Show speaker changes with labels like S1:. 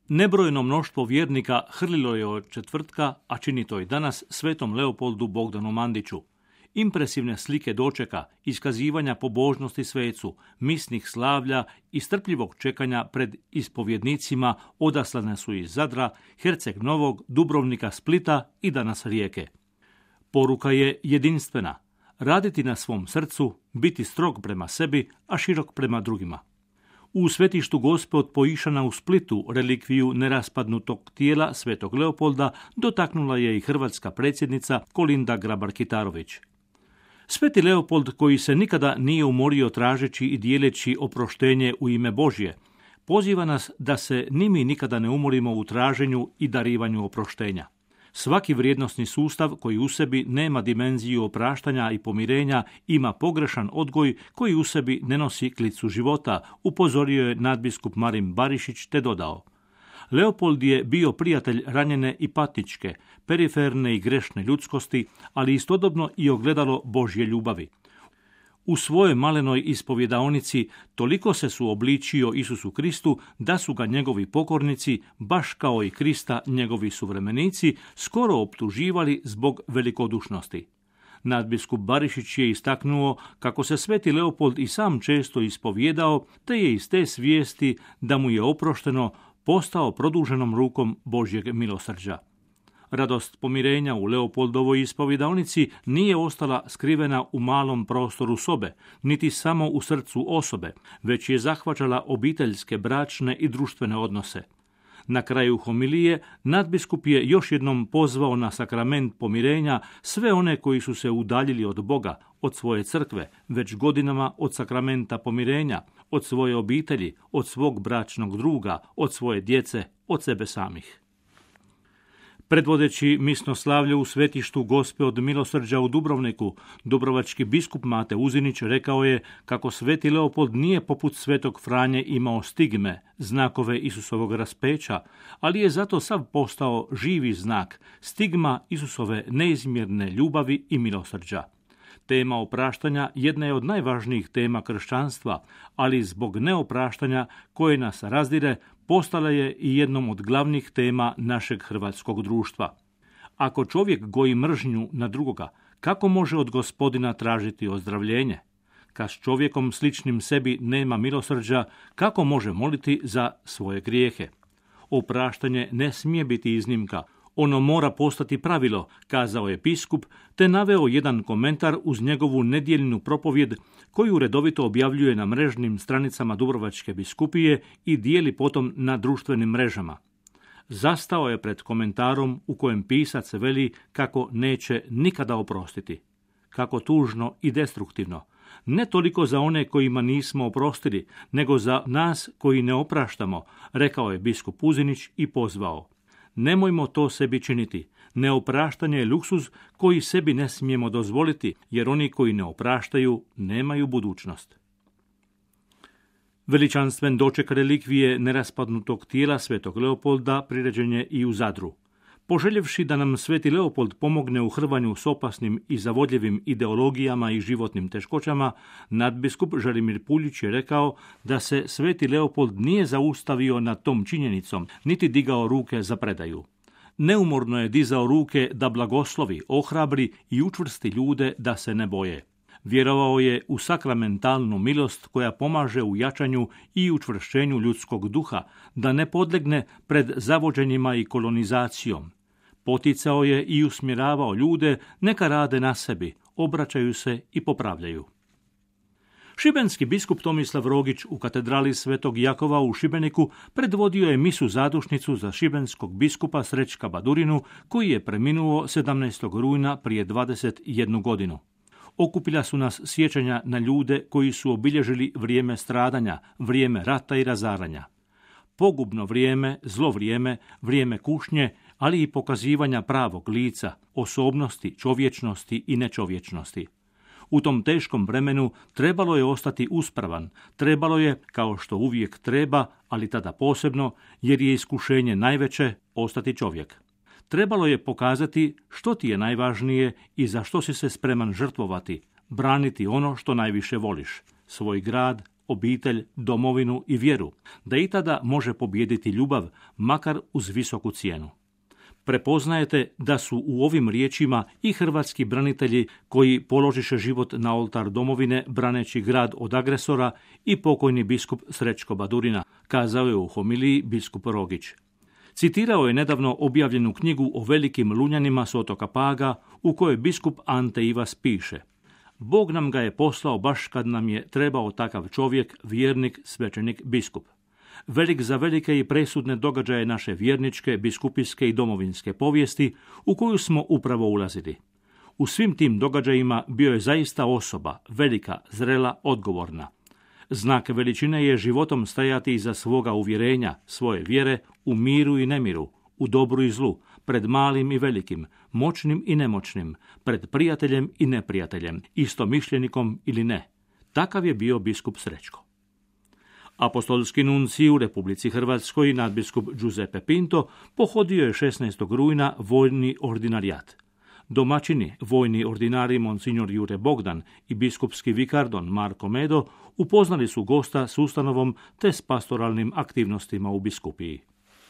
S1: Nebrojno mnoštvo vjernika hrlilo je od četvrtka, a čini to i danas, svetom Leopoldu Bogdanu Mandiću. Impresivne slike dočeka, iskazivanja pobožnosti svecu, misnih slavlja i strpljivog čekanja pred ispovjednicima odaslane su iz Zadra, Herceg Novog, Dubrovnika, Splita i danas Rijeke. Poruka je jedinstvena. Raditi na svom srcu, biti strog prema sebi, a širok prema drugima. U svetištu Gospe od Poišana u Splitu relikviju neraspadnutog tijela svetog Leopolda dotaknula je i hrvatska predsjednica Kolinda Grabar-Kitarović. Sveti Leopold, koji se nikada nije umorio tražeći i dijeleći oproštenje u ime Božje, poziva nas da se ni mi nikada ne umorimo u traženju i darivanju oproštenja. Svaki vrijednosni sustav koji u sebi nema dimenziju opraštanja i pomirenja ima pogrešan odgoj koji u sebi ne nosi klicu života, upozorio je nadbiskup Marin Barišić te dodao: Leopold je bio prijatelj ranjene i patničke, periferne i grešne ljudskosti, ali istodobno i ogledalo Božje ljubavi. U svojoj malenoj ispovjedaonici toliko se suobličio Isusu Kristu da su ga njegovi pokornici, baš kao i Krista njegovi suvremenici, skoro optuživali zbog velikodušnosti. Nadbiskup Barišić je istaknuo kako se sveti Leopold i sam često ispovjedao, te je iz te svijesti da mu je oprošteno postao produženom rukom Božjeg milosrđa. Radost pomirenja u Leopoldovoj ispovjedaonici nije ostala skrivena u malom prostoru sobe, niti samo u srcu osobe, već je zahvaćala obiteljske, bračne i društvene odnose. Na kraju homilije nadbiskup je još jednom pozvao na sakrament pomirenja sve one koji su se udaljili od Boga, od svoje crkve, već godinama od sakramenta pomirenja, od svoje obitelji, od svog bračnog druga, od svoje djece, od sebe samih. Predvodeći misno slavlje u svetištu Gospe od milosrđa u Dubrovniku, dubrovački biskup Mate Uzinić rekao je kako sveti Leopold nije poput svetog Franje imao stigme, znakove Isusovog raspeća, ali je zato sav postao živi znak, stigma Isusove neizmjerne ljubavi i milosrđa. Tema opraštanja jedna je od najvažnijih tema kršćanstva, ali zbog neopraštanja koje nas razdire, postala je i jednom od glavnih tema našeg hrvatskog društva. Ako čovjek goji mržnju na drugoga, kako može od Gospodina tražiti ozdravljenje? Kad s čovjekom sličnim sebi nema milosrđa, kako može moliti za svoje grijehe? Opraštanje ne smije biti iznimka. Ono mora postati pravilo, kazao je biskup, te naveo jedan komentar uz njegovu nedjeljnu propovjed koju redovito objavljuje na mrežnim stranicama Dubrovačke biskupije i dijeli potom na društvenim mrežama. Zastao je pred komentarom u kojem pisac veli kako neće nikada oprostiti. Kako tužno i destruktivno. Ne toliko za one kojima nismo oprostili, nego za nas koji ne opraštamo, rekao je biskup Uzinić i pozvao: nemojmo to sebi činiti. Neopraštanje je luksuz koji sebi ne smijemo dozvoliti, jer oni koji ne opraštaju nemaju budućnost. Veličanstven doček relikvije neraspadnutog tijela svetog Leopolda priređen je i u Zadru. Poželjevši da nam sveti Leopold pomogne u hrvanju s opasnim i zavodljivim ideologijama i životnim teškoćama, nadbiskup Želimir Puljić je rekao da se sveti Leopold nije zaustavio nad tom činjenicom, niti digao ruke za predaju. Neumorno je dizao ruke da blagoslovi, ohrabri i učvrsti ljude da se ne boje. Vjerovao je u sakramentalnu milost koja pomaže u jačanju i učvršćenju ljudskog duha, da ne podlegne pred zavođenjima i kolonizacijom. Poticao je i usmjeravao ljude neka rade na sebi, obraćaju se i popravljaju. Šibenski biskup Tomislav Rogić u katedrali Svetog Jakova u Šibeniku predvodio je misu zadušnicu za šibenskog biskupa Srećka Badurinu, koji je preminuo 17. rujna prije 21 godinu. Okupila su nas sjećanja na ljude koji su obilježili vrijeme stradanja, vrijeme rata i razaranja. Pogubno vrijeme, zlo vrijeme, vrijeme kušnje, ali i pokazivanja pravog lica, osobnosti, čovječnosti i nečovječnosti. U tom teškom vremenu trebalo je ostati uspravan, trebalo je, kao što uvijek treba, ali tada posebno, jer je iskušenje najveće, ostati čovjek. Trebalo je pokazati što ti je najvažnije i za što si se spreman žrtvovati, braniti ono što najviše voliš, svoj grad, obitelj, domovinu i vjeru, da i tada može pobijediti ljubav, makar uz visoku cijenu. Prepoznajete da su u ovim riječima i hrvatski branitelji koji položiše život na oltar domovine braneći grad od agresora i pokojni biskup Srećko Badurina, kazao je u homiliji biskup Rogić. Citirao je nedavno objavljenu knjigu o velikim Lunjanima s otoka Paga u kojoj biskup Ante Ivas piše: Bog nam ga je poslao baš kad nam je trebao takav čovjek, vjernik, svećenik, biskup. Velik za velike i presudne događaje naše vjerničke, biskupijske i domovinske povijesti u koju smo upravo ulazili. U svim tim događajima bio je zaista osoba, velika, zrela, odgovorna. Znak veličine je životom stajati iza svoga uvjerenja, svoje vjere, u miru i nemiru, u dobru i zlu, pred malim i velikim, moćnim i nemoćnim, pred prijateljem i neprijateljem, istomišljenikom ili ne. Takav je bio biskup Srećko. Apostolski nuncij u Republici Hrvatskoj, nadbiskup Giuseppe Pinto, pohodio je 16. rujna vojni ordinarijat. Domaćini, vojni ordinari monsignor Jure Bogdan i biskupski vikar don Marko Medo upoznali su gosta s ustanovom te s pastoralnim aktivnostima u biskupiji.